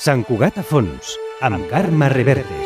Sant Cugat a fons, amb Carme Reverte.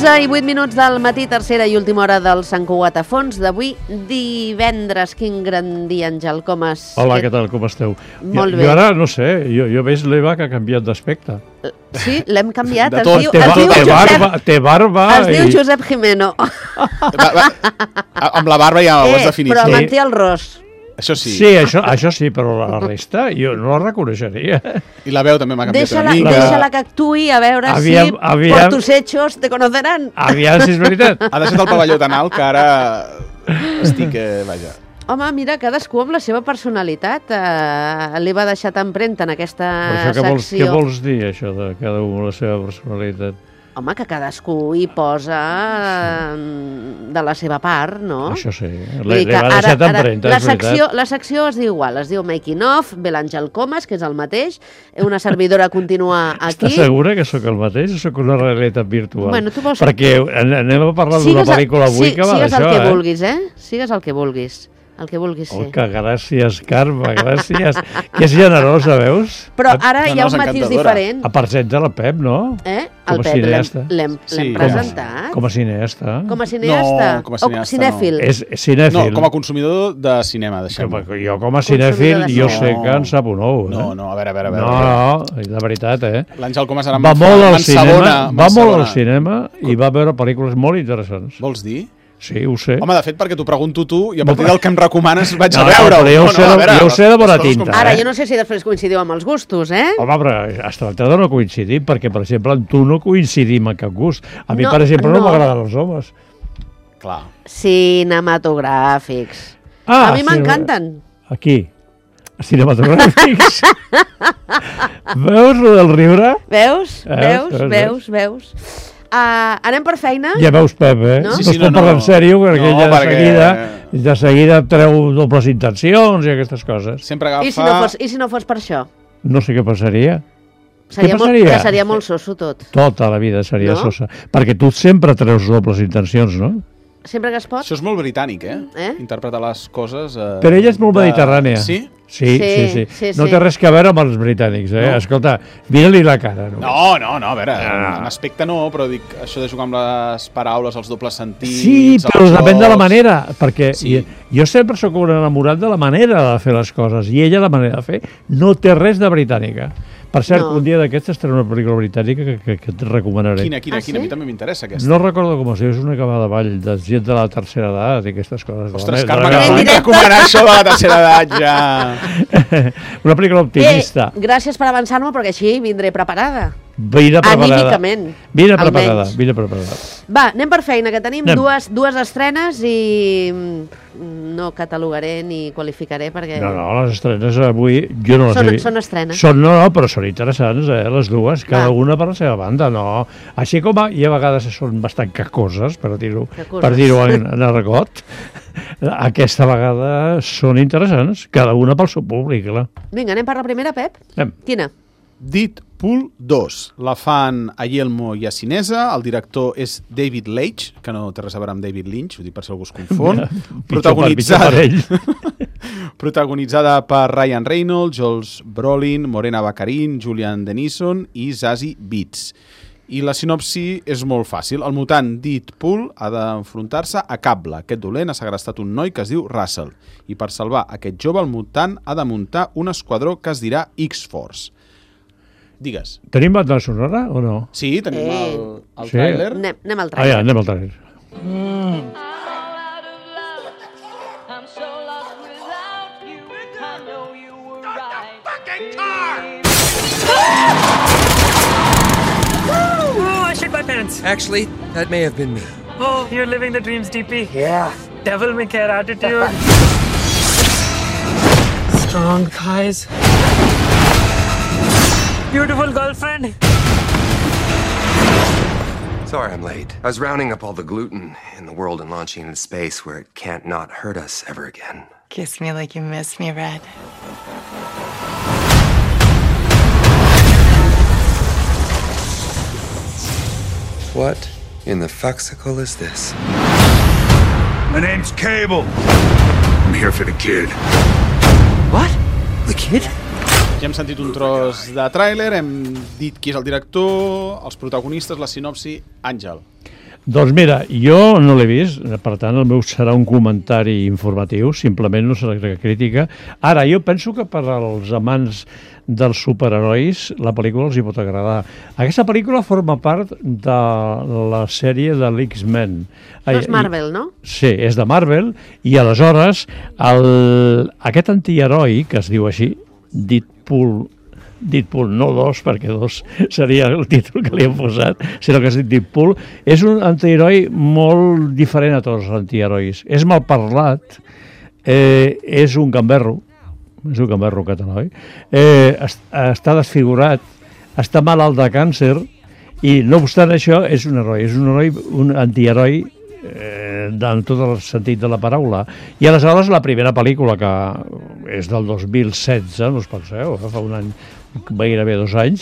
I 8 minuts del matí, tercera i última hora del Sant Cugat a fons d'avui, divendres. Quin gran dia, Àngel, com has... Hola, què tal, com esteu? Molt bé. Jo ara, no sé, jo veig l'Eva que ha canviat d'aspecte. Sí, l'hem canviat. Té barba... Es diu Josep Jimeno. Amb la barba ja ho has definit. Però manté el ros. Això sí. Sí, això sí, però la resta jo no la reconeixeria. I la veu també m'ha canviat una mica. Deixa-la que actuï, a veure si por tus hechos te conocerán. Aviam si és veritat. Ha deixat el pavelló tan alt que ara estic, vaja. Home, mira, cadascú amb la seva personalitat li va deixar empremta en aquesta secció. Què vols dir, això de cada un la seva personalitat? Home, que cadascú hi posa de la seva part, no? Això sí, li va deixar empremta, és veritat. La secció es diu igual, es diu Making Of, ve l'Àngel Comas, que és el mateix, una servidora continua aquí. Estàs segura que sóc el mateix o sóc una realitat virtual? Bueno, tu vols... Perquè anem a parlar d'una pel·lícula avui que va d'això, Sigues el que vulguis, Sigues el que vulguis. El que vulguis ser. Que gràcies, Carme, gràcies. Que és generosa, veus? Però ara hi ha un matís diferent. A part de la Pep, no? El Pep l'hem presentat. Com a cineasta. Com a cineasta? No, com a cineasta, o cinèfil? És cinèfil. No, com a consumidor de cinema, deixem-ho. Jo com a cinèfil, jo sé que en sap un ou. No, a veure. No, de veritat, L'Àngel Comas ara va molt al cinema, va molt al cinema i va veure pel·lícules molt interessants. Vols dir? Sí, ho sé. Home, de fet, perquè t'ho pregunto tu i a partir del que em recomanes vaig a veure. Jo ho sé de bona tinta. Ara, jo no sé si després coincidiu amb els gustos, Home, però es tracta de no coincidir, perquè, per exemple, amb tu no coincidim en cap gust. A mi, per exemple, no m'agraden els homes. Clar. Cinematogràfics. A mi m'encanten. Aquí. Cinematogràfics. Veus lo del riure? Veus. Anem per feina? Ja veus, Pep, No? Sí, no parla en sèrio, perquè de seguida treu dobles intencions i aquestes coses. Sempre agafa... I si no fos per això? No sé què passaria. Que seria molt soso tot. Tota la vida seria sosa. Perquè tu sempre treus dobles intencions, no? Sempre que es pot? Això és molt britànic, Interpretar les coses... Però ella és molt mediterrània. Sí? Sí. No té res a veure amb els britànics, Escolta, mira-li la cara. No, a veure, en aspecte no, però dic, això de jugar amb les paraules, els dobles sentits... Sí, però depèn de la manera, perquè jo sempre sóc un enamorat de la manera de fer les coses, i ella la manera de fer no té res de britànica. Per cert, un dia d'aquestes estarà una pel·lícula britànica que et recomanaré. Quina? A mi també m'interessa aquesta. No recordo com es diu, és una que va de ball de gent de la tercera edat i aquestes coses. Ostres, Carme, que m'han recomanat això de la tercera edat, ja. Una pel·lícula optimista. Gràcies per avançar-me, perquè així vindré preparada. Vine preparada. Anímicament. Vine preparada. Va, anem per feina, que tenim dues estrenes i no catalogaré ni qualificaré perquè... No, les estrenes avui jo no les he vist. Són estrenes. Però són interessants, les dues, cada una per la seva banda, no. Així com hi ha vegades són bastant cacoses, per dir-ho en argot, aquesta vegada són interessants, cada una pel seu públic, clar. Vinga, anem per la primera, Pep? Quina? Deadpool 2. La fan a Yelmo i a Cinesa. El director és David Leitch, que no té res a veure amb David Lynch, ho dic per si algú es confon. Protagonitzada per Ryan Reynolds, Joel Brolin, Morena Baccarin, Julian Dennison i Zazie Beetz. I la sinopsi és molt fàcil. El mutant Deadpool ha d'enfrontar-se a Cable. Aquest dolent ha segrestat un noi que es diu Russell. I per salvar aquest jove, el mutant ha de muntar un esquadró que es dirà X-Force. Digues. Tenim banda sonora o no? Sí, tenim el tràiler. Anem al tràiler. Anem al tràiler. Oh, I shit my pants. Actually, that may have been me. Oh, you're living the dreams, DP. Yeah. Devil may care attitude. Strong thighs. Beautiful girlfriend. Sorry I'm late. I was rounding up all the gluten in the world and launching into space where it can't not hurt us ever again. Kiss me like you miss me, Red. What in the fuxicle is this? My name's Cable. I'm here for the kid. What? The kid? Ja hem sentit un tros de tràiler, hem dit qui és el director, els protagonistes, la sinopsi. Àngel. Doncs mira, jo no l'he vist, per tant el meu serà un comentari informatiu, simplement no serà crítica. Ara, jo penso que per als amants dels superherois la pel·lícula els hi pot agradar. Aquesta pel·lícula forma part de la sèrie de l'X-Men. No és Marvel, no? Sí, és de Marvel, i aleshores aquest antiheroi, que es diu així, Deadpool, no 2, perquè 2 seria el títol que li hem posat, sinó que es diu Deadpool, és un antiheroi molt diferent a tots els antiherois. És mal parlat, és un gamberro català, està desfigurat, està malalt de càncer, i no obstant això és un heroi, un antiheroi en tot el sentit de la paraula. I aleshores la primera pel·lícula, que és del 2016, no us penseu, fa un any, gairebé 2 anys,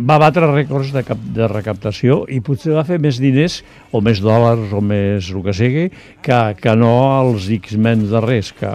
va batre rècords de recaptació i potser va fer més diners o més dòlars o més el que sigui que no els X-Men darrers, que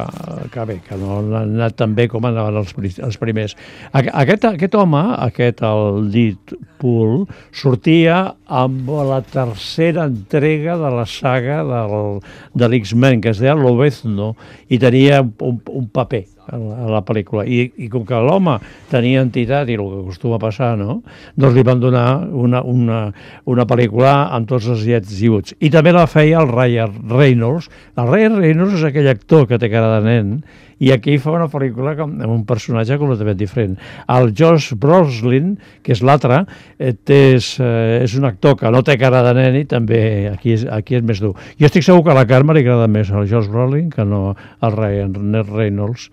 no han anat tan bé com anaven els primers. Aquest home, el Deadpool, sortia amb la tercera entrega de la saga de l'X-Men, que es deia Lobezno, i tenia un paper a la pel·lícula. I com que l'home tenia entitat i el que acostuma a passar, no? Doncs li van donar una pel·lícula amb tots els llets i uts. I també la feia el Ryan Reynolds. El Ryan Reynolds és aquell actor que té cara de nen, i aquí fa una pel·lícula amb un personatge completament diferent. El Josh Brolin, que és l'altre, és un actor que no té cara de nen i també aquí és més dur. Jo estic segur que a la Carme li agrada més el Josh Brolin que no el Ryan Reynolds,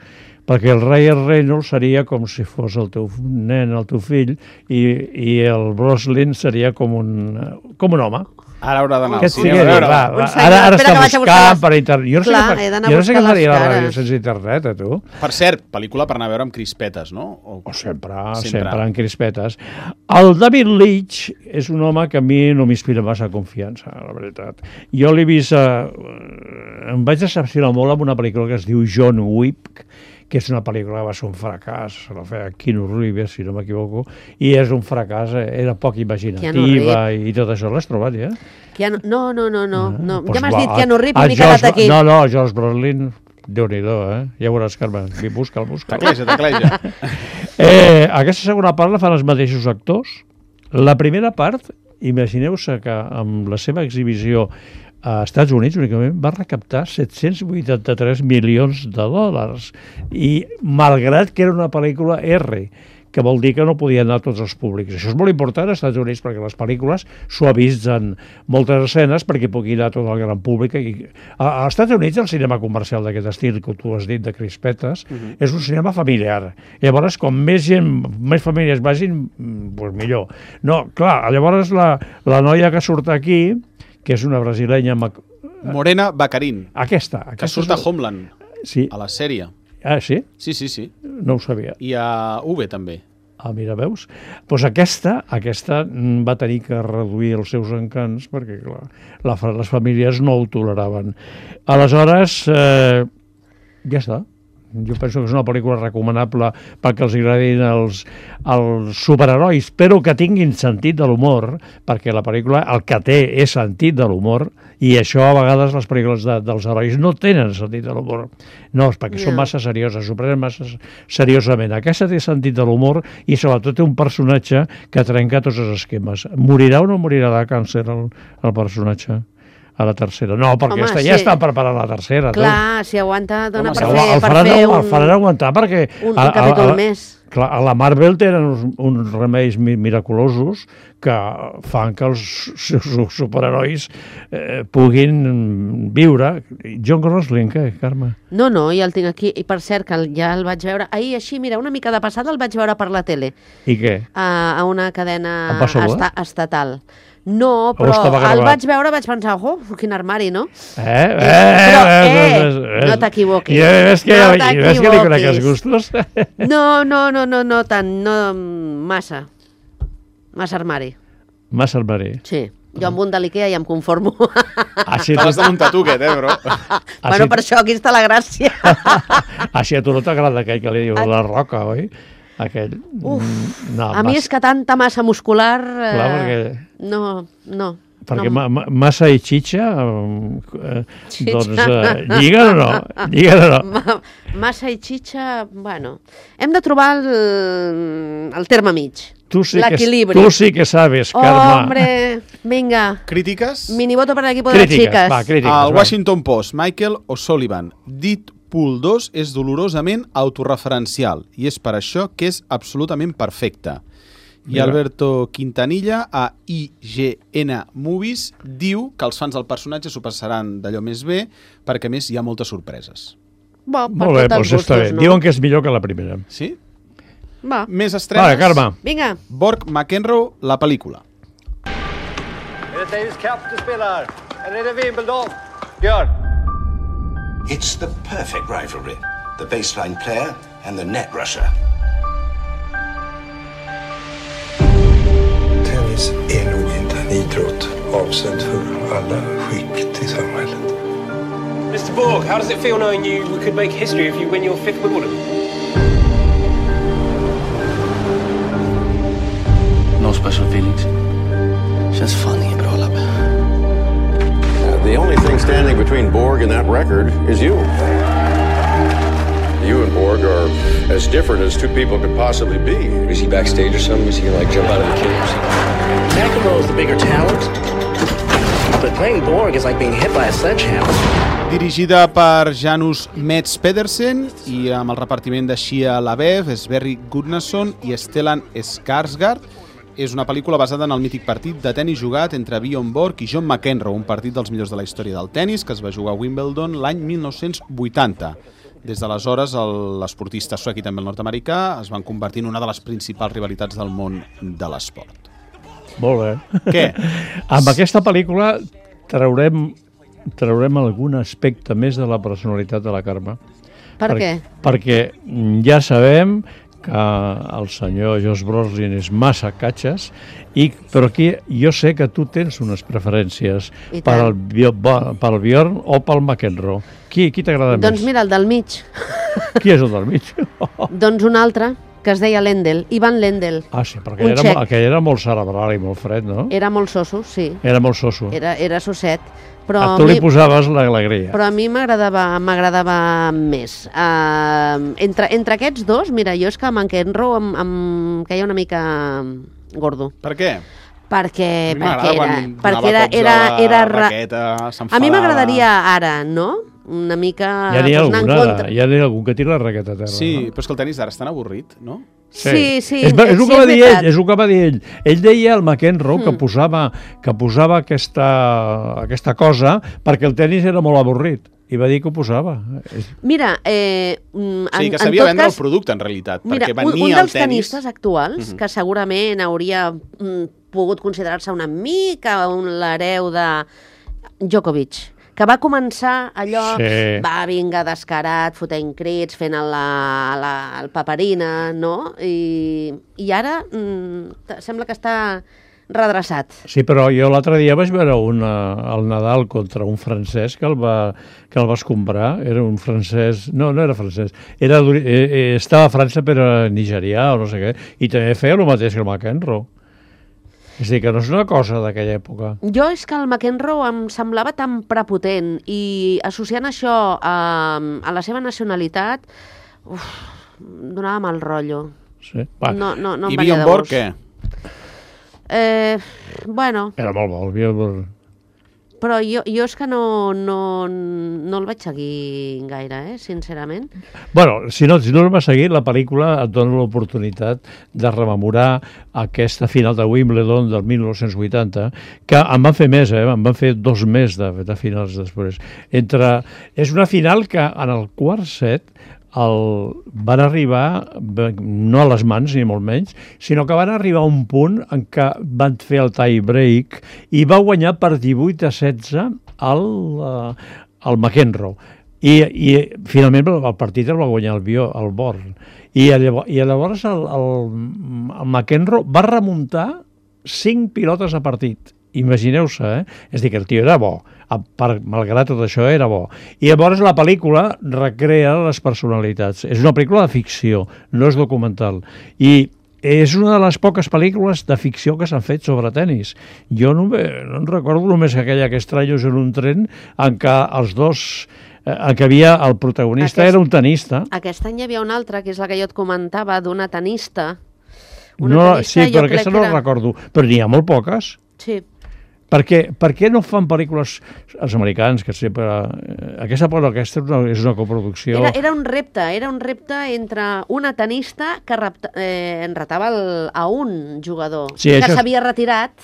perquè el Ryan Reynolds seria com si fos el teu nen, el teu fill, i el Brolin seria com un home. Ara haurà d'anar al cinema. Ara està buscant per internet. Jo no sé què faria la ràdio sense internet, tu. Per cert, pel·lícula per anar a veure amb crispetes, no? Sempre amb crispetes. El David Leitch és un home que a mi no m'inspira massa confiança, la veritat. Jo l'he vist... Em vaig decepcionar molt amb una pel·lícula que es diu John Wick, que és una pel·lícula que va ser un fracàs, la feia Keanu Reeves, si no m'equivoco, i és un fracàs, era poc imaginativa i tot això. L'has trobat, ja? No. Ja m'has dit Keanu Reeves i m'he quedat aquí. No, Josh Brolin, Déu-n'hi-do, ja veuràs, Carme, busca'l. Tecleja. Aquesta segona part la fan els mateixos actors. La primera part, imagineu-se que amb la seva exhibició a Estats Units únicament va recaptar 783 milions de dòlars, i malgrat que era una pel·lícula R, que vol dir que no podia anar a tots els públics. Això és molt important als Estats Units, perquè les pel·lícules suavitzen moltes escenes perquè pugui anar a tot el gran públic. Als Estats Units el cinema comercial d'aquest estil, que tu has dit, de crispetes, és un cinema familiar. Llavors, com més famílies vagin, doncs millor. No, clar, llavors la noia que surt aquí, que és una brasilenya... Morena Baccarin. Aquesta que surt a Homeland, sí. A la sèrie. Ah, sí? Sí. No ho sabia. I a UV també. Ah, mira, veus? Doncs aquesta va tenir que reduir els seus encants perquè, clar, les famílies no ho toleraven. Aleshores, ja està. Jo penso que és una pel·lícula recomanable perquè els agradin els superherois, però que tinguin sentit de l'humor, perquè la pel·lícula el que té és sentit de l'humor, i això a vegades les pel·lícules dels herois no tenen sentit de l'humor. No, perquè són massa serioses, s'ho prenen massa seriosament. Aquesta té sentit de l'humor i sobretot té un personatge que trenca tots els esquemes. Morirà o no morirà de càncer el personatge? A la tercera. No, perquè ja està preparant la tercera. Clar, si aguanta, dona per fer el faran aguantar perquè... Un capítol més. Clar, a la Marvel tenen uns remeis miraculosos que fan que els superherois puguin viure. John Gosling, què, Carme? No, ja el tinc aquí. I per cert, que ja el vaig veure ahir així, mira, una mica de passada el vaig veure per la tele. I què? A una cadena estatal. No, però el vaig veure, vaig pensar, quin armari, no? No t'equivoquis. Ves que li conec els gustos? No tant, no massa. Massa armari. Massa armari. Sí. Jo amb un de l'Ikea ja em conformo. Te l'has de muntar tu, aquest, bro? Bueno, per això aquí està la gràcia. Així a tu no t'agrada aquell que li diu la roca, oi? Aquell... A mi és que tanta massa muscular... Clar, perquè... No. Perquè massa i xitxa, doncs, lliguen o no? Massa i xitxa, bueno... Hem de trobar el terme mig. L'equilibri. Tu sí que sabes, Carme. Hombre, vinga. Crítiques? Minivoto per l'equip de les xiques. Al Washington Post, Michael O'Sullivan. Deadpool 2 és dolorosament autorreferencial i és per això que és absolutament perfecte. I Alberto Quintanilla, a IGN Movies, diu que els fans del personatge s'ho passaran d'allò més bé perquè, a més, hi ha moltes sorpreses. Molt bé, doncs està bé. Diuen que és millor que la primera. Sí? Va. Més estrenes. Vale, Carme. Vinga. Borg McEnroe, la pel·lícula. It's the perfect rivalry. The baseline player and the net rusher. Tennis är nog inte en idrott avsedd för alla skikt i samhället. Mr. Borg, how does it feel knowing you could make history if you win your 5th Wimbledon? No special feelings. Just funny, bro. The only thing standing between Borg and that record is you. You and Borg are as different as two people could possibly be. Is he backstage or something? Is he gonna jump out of the cage? McEnroe is the bigger talent, but playing Borg is like being hit by a sledgehammer. Dirigida per Janus Metz Pedersen i amb el repartiment de Shia LaBeouf, Sverri Gudnason i Stellan Skarsgård. És una pel·lícula basada en el mític partit de tennis jugat entre Bjorn Borg i John McEnroe, un partit dels millors de la història del tennis que es va jugar a Wimbledon l'any 1980. Des d'aleshores, l'esportista suec i també el nord-americà es van convertir en una de les principals rivalitats del món de l'esport. Molt bé. Què? Amb aquesta pel·lícula traurem algun aspecte més de la personalitat de la Carme. Per què? Perquè ja sabem que el senyor Josh Brolin és massa catxes, però aquí jo sé que tu tens unes preferències pel Bjorn o pel McEnroe. Qui t'agrada més? Doncs mira, el del mig. Qui és el del mig? Doncs un altre, que es deia Lendl, Ivan Lendl. Ah, sí, perquè aquell era molt cerebral i molt fred, no? Era molt soso, sí. Era molt soso. Era sosset. A tu li posaves l'alegria. Però a mi m'agradava més. Entre aquests dos, mira, jo és que McEnroe em queia una mica gordo. Per què? Perquè era a mi m'agradaria ara, no? Una mica ja n'hi ha algun que tira la raqueta a terra. Sí, però és que el tenis d'ara és tan avorrit, no? Sí. És el que va dir ell. Ell deia al McEnroe que posava aquesta cosa perquè el tenis era molt avorrit. I va dir que ho posava. Mira, sí, que sabia vendre el producte, en realitat. Mira, un dels tenistes actuals, que segurament hauria pogut considerar-se una mica l'hereu de Djokovic, que va començar allò, va vinga descarat, fotent crits, fent el paperina, no? I ara sembla que està redreçat. Sí, però jo l'altre dia vaig veure el Nadal contra un francès que el va escombrar. Era un francès... No era francès. Estava a França però nigerià o no sé què, i també feia el mateix que el McEnroe. És a dir, que no és una cosa d'aquella època. Jo és que el McEnroe em semblava tan prepotent i associant això a la seva nacionalitat donava mal rotllo. Sí. No I Bjorn Borg, què? Bueno... Era molt bo, el Bjorn. Però jo és que no el vaig seguir gaire, sincerament. Bueno, si no el vas seguir, la pel·lícula et dona l'oportunitat de rememorar aquesta final de Wimbledon del 1980, que en van fer més, en van fer 2 més de finals després. És una final que en el quart set van arribar, no a les mans ni molt menys, sinó que van arribar a un punt en què van fer el tie break i va guanyar per 18-16 el McEnroe. I finalment el partit el va guanyar el Born. I llavors el McEnroe va remuntar 5 pilotes a partit. Imagineu-se, És a dir, que el tio era bo, malgrat tot això era bo. I llavors la pel·lícula recrea les personalitats. És una pel·lícula de ficció, no és documental. I és una de les poques pel·lícules de ficció que s'han fet sobre tennis. Jo no em recordo només aquella que Estrellos en un tren en què els dos... en què el protagonista era un tenista. Aquest any hi havia una altra, que és la que jo et comentava, d'una tenista. Sí, però aquesta no la recordo. Però n'hi ha molt poques. Sí. Per què no fan pel·lícules els americans, que sempre... Aquesta és una coproducció... Era un repte entre una tenista que retava a un jugador que s'havia retirat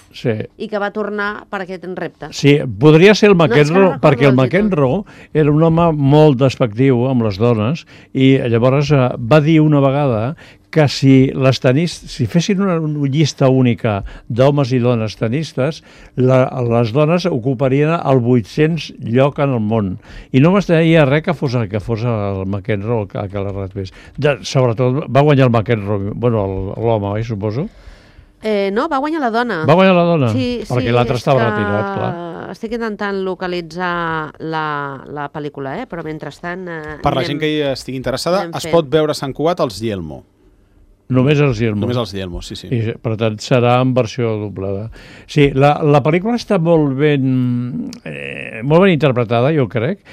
i que va tornar per aquest repte. Sí, podria ser el McEnroe, perquè el McEnroe era un home molt despectiu amb les dones i llavors va dir una vegada que si fessin una llista única d'homes i dones tenistes, les dones ocuparien el 800 lloc en el món. I no m'estaria res que fos el McEnroe que la retés. Sobretot va guanyar el McEnroe, l'home, suposo? No, va guanyar la dona. Va guanyar la dona? Sí, perquè l'altre estava retirat, clar. Estic intentant localitzar la pel·lícula, però mentrestant... Per la gent que hi estigui interessada, es pot veure Sant Cugat als Yelmo. Només els Yelmo. Només els Yelmo, sí. I, per tant, serà en versió doblada. Sí, la pel·lícula està molt ben interpretada, jo crec,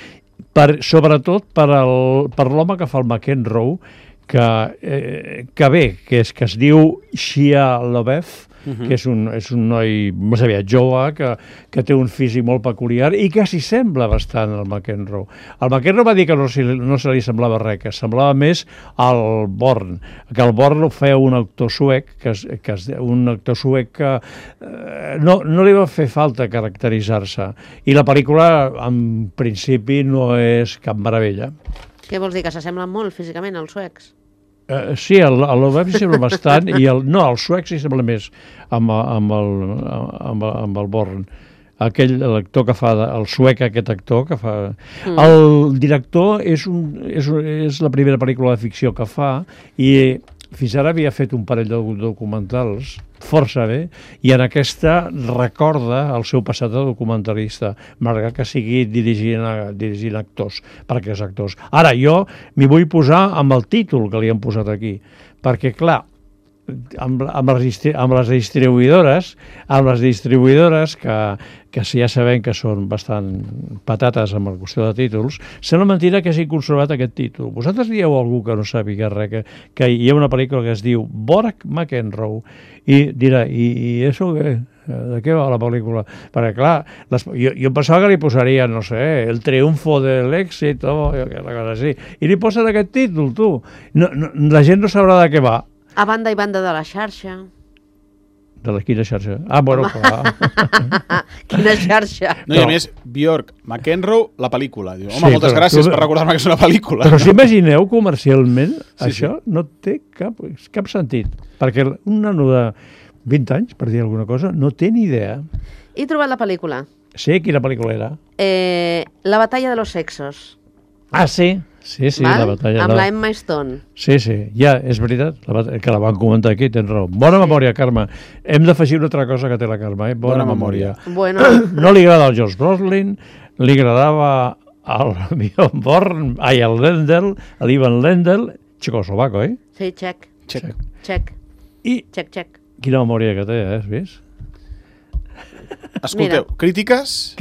sobretot per l'home que fa el McEnroe, que es diu Shia LaBeouf, que és un noi més aviat jove, que té un físic molt peculiar i que s'hi sembla bastant al McEnroe. El McEnroe va dir que no se li semblava res, que semblava més al Born, que el Born ho feia un actor suec, que no li va fer falta caracteritzar-se. I la pel·lícula, en principi, no és cap meravella. Què vols dir, que s'assemblen molt físicament als suecs? Sí, l'Obem s'hi sembla bastant i el suec s'hi sembla més amb el Born. L'actor que fa, el suec, aquest actor que fa... El director és la primera pel·lícula de ficció que fa i fins ara havia fet un parell de documentals força bé i en aquesta recorda el seu passat de documentalista, malgrat que sigui dirigint actors, per aquests actors. Ara, jo m'hi vull posar amb el títol que li han posat aquí, perquè, clar, amb les distribuïdores que si ja sabem que són bastant patates amb la qüestió de títols, sembla mentida que hagi conservat aquest títol. Vosaltres dieu a algú que no sàpiga res, que hi ha una pel·lícula que es diu Borg McEnroe i dirà, i això què? De què va la pel·lícula? Perquè, clar, jo pensava que li posaria, no sé, el triomfo de l'èxit o una cosa així. I li posen aquest títol, tu. La gent no sabrà de què va. A banda i banda de la xarxa. De quina xarxa? Ah, bueno, clar. Quina xarxa? No, i a més, Björk, McEnroe, la pel·lícula. Diu, home, moltes gràcies per recordar-me que és una pel·lícula. Però si imagineu comercialment, això no té cap sentit. Perquè un nano de 20 anys, per dir alguna cosa, no té ni idea. He trobat la pel·lícula. Sí, quina pel·lícula era? La batalla de los sexos. Ah, sí. Sí, val? La batalla. Amb la Emma Stone. Sí, ja, és veritat, que la van comentar aquí, tens raó. Bona memòria, Carme. Hem d'afegir una altra cosa que té la Carme, Bona memòria. Bueno. No li agrada el Josh Brolin, li agradava el Bjorn Born, el Lendl, l'Ivan Lendl, txecoslovaco, Sí, txec. I quina memòria que té, has vist? Escolteu, crítiques.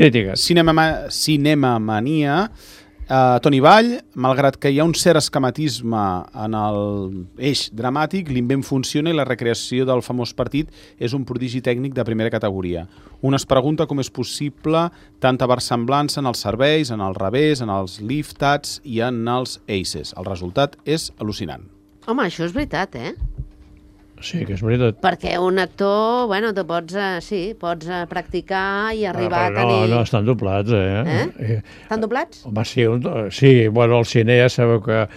Cinemamania. Toni Vall, malgrat que hi ha un cert esquematisme en l'eix dramàtic, l'invent funciona i la recreació del famós partit és un prodigi tècnic de primera categoria. Un es pregunta com és possible tanta versemblança en els serveis, en el revés, en els liftats i en els aces. El resultat és al·lucinant. Home, això és veritat, Sí, que és veritat. Perquè un actor, bueno, tu pots practicar i arribar a tenir... No, estan doblats, Estan doblats? Home, sí, bueno, al cine ja sabeu que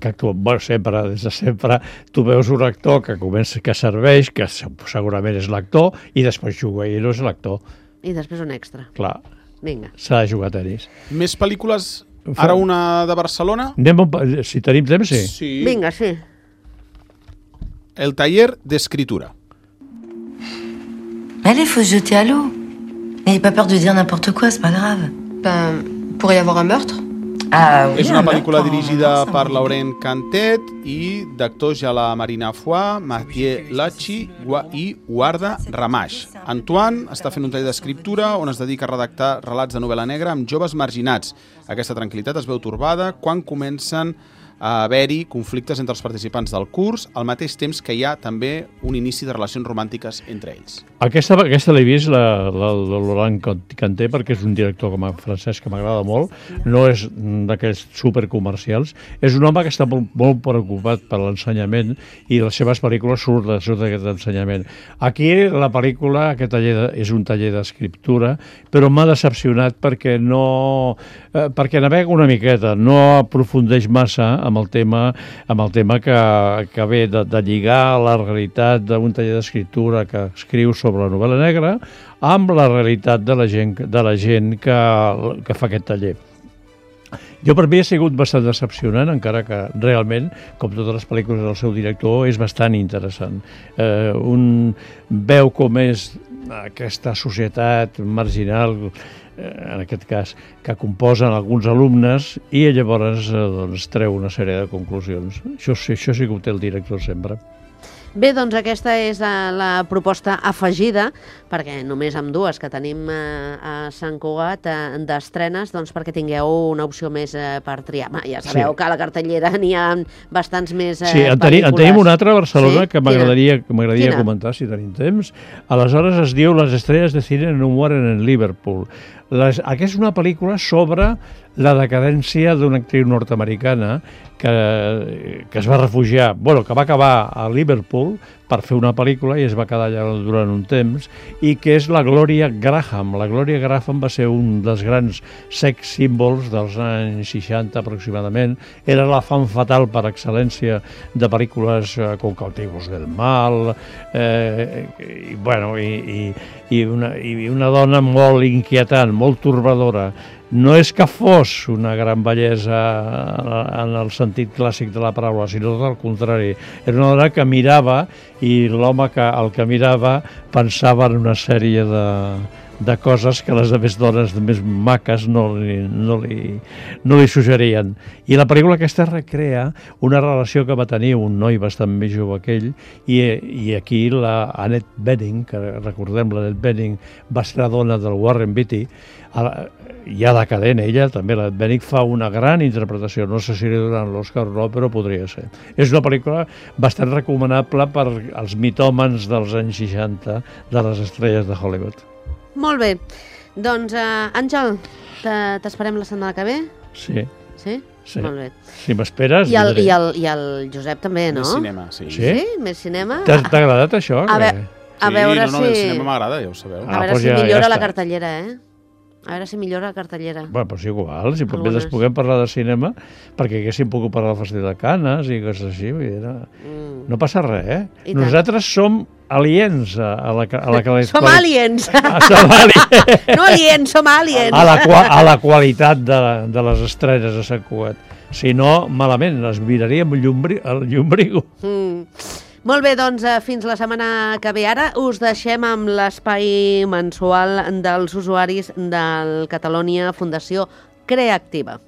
actua, bueno, sempre, des de sempre, tu veus un actor que comença, que serveix, que segurament és l'actor, i després juga i no és l'actor. I després un extra. Clar. Vinga. S'ha de jugar a tenis. Més pel·lícules? Ara una de Barcelona? Si tenim temps, sí. Vinga, sí. El taller d'escritura. Allez, faut se jeter à l'eau. N'ayez pas peur de dire n'importe quoi, c'est pas grave. Ben, pourrait y avoir un meurtre? Ah, oui, És una pel·lícula dirigida per Laurent Cantet i d'actors hi ha la Marina Foix, Mathieu Lachi i Guarda Ramaix. Antoine està fent un taller d'escriptura on es dedica a redactar relats de novel·la negra amb joves marginats. Aquesta tranquil·litat es veu torbada quan comencen a haver-hi conflictes entre els participants del curs, al mateix temps que hi ha també un inici de relacions romàntiques entre ells. Aquesta l'he vist, la Laurent Cantet, perquè és un director francès que m'agrada molt, no és d'aquells supercomercials, és un home que està molt preocupat per l'ensenyament i les seves pel·lícules surt d'aquest ensenyament. Aquí la pel·lícula, aquest taller és un taller d'escriptura, però m'ha decepcionat perquè navega una miqueta, no aprofundeix massa amb el tema que ve de lligar la realitat d'un taller d'escriptura que escriu sobre la novel·la negra amb la realitat de la gent que fa aquest taller. Jo per mi ha sigut bastant decepcionant, encara que realment, com totes les pel·lícules del seu director, és bastant interessant. Un veu com és aquesta societat marginal, en aquest cas, que composen alguns alumnes i llavors treu una sèrie de conclusions. Això sí que ho té el director sempre. Bé, doncs aquesta és la proposta afegida, perquè només amb dues que tenim a Sant Cugat d'estrenes, doncs perquè tingueu una opció més per triar. Ja sabeu que a la cartellera n'hi ha bastants més pel·lícules. En tenim una altra a Barcelona que m'agradaria comentar, si tenim temps. Aleshores es diu Les estrelles de cine no mueren en Liverpool. Aquesta és una pel·lícula sobre la decadència d'una actriu nord-americana que es va refugiar, que va acabar a Liverpool per fer una pel·lícula i es va quedar allà durant un temps, i que és la Gloria Graham. La Gloria Graham va ser un dels grans sex símbols dels anys 60 aproximadament. Era la femme fatal per excel·lència de pel·lícules com Cautivos del Mal, i una dona molt inquietant, molt torbadora. No és que fos una gran bellesa en el sentit clàssic de la paraula, sinó tot el contrari. Era una dona que mirava i l'home el que mirava pensava en una sèrie de coses que les altres dones més maques no li suggerien. I la pel·lícula aquesta recrea una relació que va tenir un noi bastant més jove que ell, i aquí la Annette Bening, que recordem, l'Annette Bening va ser la dona del Warren Beatty, ja decadent ella, també la Bening fa una gran interpretació, no sé si li donen l'Oscar o no, però podria ser. És una pel·lícula bastant recomanable per als mitòmans dels anys 60 de les estrelles de Hollywood. Molt bé. Doncs, Àngel, t'esperem la setmana que ve? Sí. Sí? Sí. Molt bé. Si m'esperes... I el Josep també, no? Més cinema, sí. Sí? Més cinema? T'ha agradat això? A veure si... el cinema m'agrada, ja ho sabeu. A veure si millora la cartellera, A veure si millora la cartellera. Bueno, però és igual, si puguem parlar de cinema, perquè haguéssim pogut parlar del Festival de Canes i coses així, no passa res, Nosaltres som aliens a la qualitat... Som aliens! Som aliens! No aliens, som aliens! A la qualitat de les estrenes a Sant Cugat. Si no, malament, les miraríem al llumbrigo. Molt bé, doncs fins la setmana que ve. Ara us deixem amb l'espai mensual dels usuaris del Catalonia Fundació Creactiva.